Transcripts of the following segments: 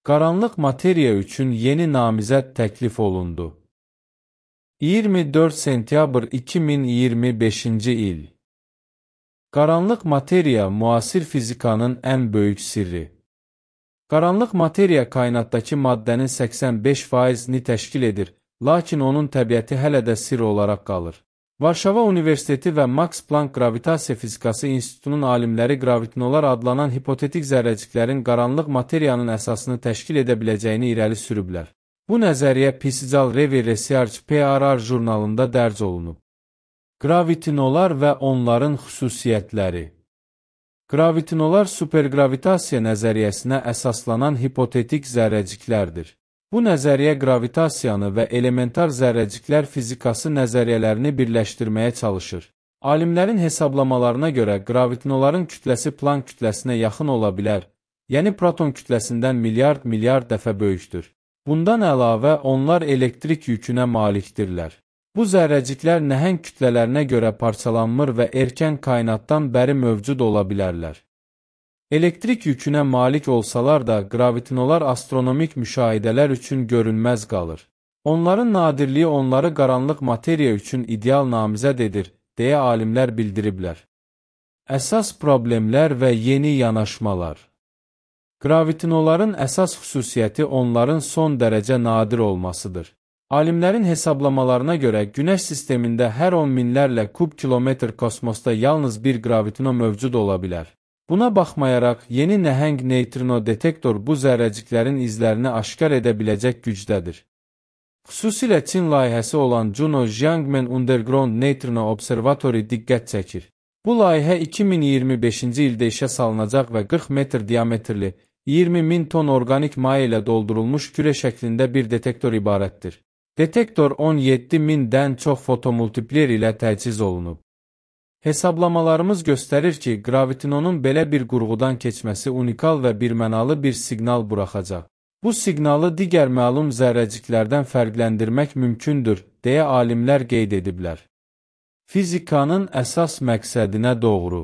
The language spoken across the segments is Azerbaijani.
Qaranlıq materiya üçün yeni namizəd təklif olundu. 24 sentyabr 2025-ci il. Qaranlıq materiya müasir fizikanın ən böyük sirri. Qaranlıq materiya kainatdakı maddənin 85%-ni təşkil edir, lakin onun təbiəti hələ də sirr olaraq qalır. Varşava Universiteti və Max Planck Gravitasiya Fizikası İnstitutunun alimləri gravitinolar adlanan hipotetik zərrəciklərin qaranlıq materiyanın əsasını təşkil edə biləcəyini irəli sürüblər. Bu nəzəriyyə Physical Review Research PRR jurnalında dərc olunub. Gravitinolar və onların xüsusiyyətləri. Gravitinolar supergravitasiya nəzəriyyəsinə əsaslanan hipotetik zərrəciklərdir. Bu nəzəriyyə gravitasiyanı və elementar zərrəciklər fizikası nəzəriyyələrini birləşdirməyə çalışır. Alimlərin hesablamalarına görə gravitinoların kütləsi Planck kütləsinə yaxın ola bilər, yəni proton kütləsindən milyard dəfə böyükdür. Bundan əlavə, onlar elektrik yükünə malikdirlər. Bu zərrəciklər nəhəng kütlələrinə görə parçalanmır və erkən kainatdan bəri mövcud ola bilərlər. Elektrik yükünə malik olsalar da, gravitinolar astronomik müşahidələr üçün görünməz qalır. Onların nadirliyi onları qaranlıq materiya üçün ideal namizəd edir, deyə alimlər bildiriblər. Əsas problemlər və yeni yanaşmalar. Gravitinoların əsas xüsusiyyəti onların son dərəcə nadir olmasıdır. Alimlərin hesablamalarına görə Günəş sistemində hər 10 minlərlə kub kilometr kosmosda yalnız bir gravitino mövcud ola bilər. Buna baxmayaraq, yeni nəhəng neytrino detektor bu zərrəciklərin izlərini aşkar edə biləcək gücdədir. Xüsusilə Çin layihəsi olan Juno Jiangmen Underground Neutrino Observatory diqqət çəkir. Bu layihə 2025-ci ildə işə salınacaq və 40 metr diametrli, 20.000 ton organik maya ilə doldurulmuş kürə şəklində bir detektor ibarətdir. Detektor 17.000-dən çox fotomultipler ilə təchiz olunub. Hesablamalarımız göstərir ki, gravitinonun belə bir qurğudan keçməsi unikal və birmənalı bir siqnal buraxacaq. Bu siqnalı digər məlum zərrəciklərdən fərqləndirmək mümkündür, deyə alimlər qeyd ediblər. Fizikanın əsas məqsədinə doğru.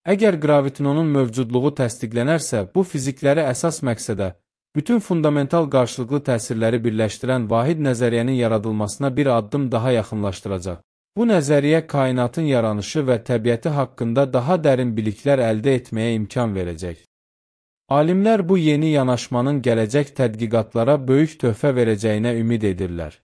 Əgər gravitinonun mövcudluğu təsdiqlənərsə, bu fizikləri əsas məqsədə, bütün fundamental qarşılıqlı təsirləri birləşdirən vahid nəzəriyyənin yaradılmasına bir addım daha yaxınlaşdıracaq. Bu nəzəriyyə kainatın yaranışı və təbiəti haqqında daha dərin biliklər əldə etməyə imkan verəcək. Alimlər bu yeni yanaşmanın gələcək tədqiqatlara böyük töhfə verəcəyinə ümid edirlər.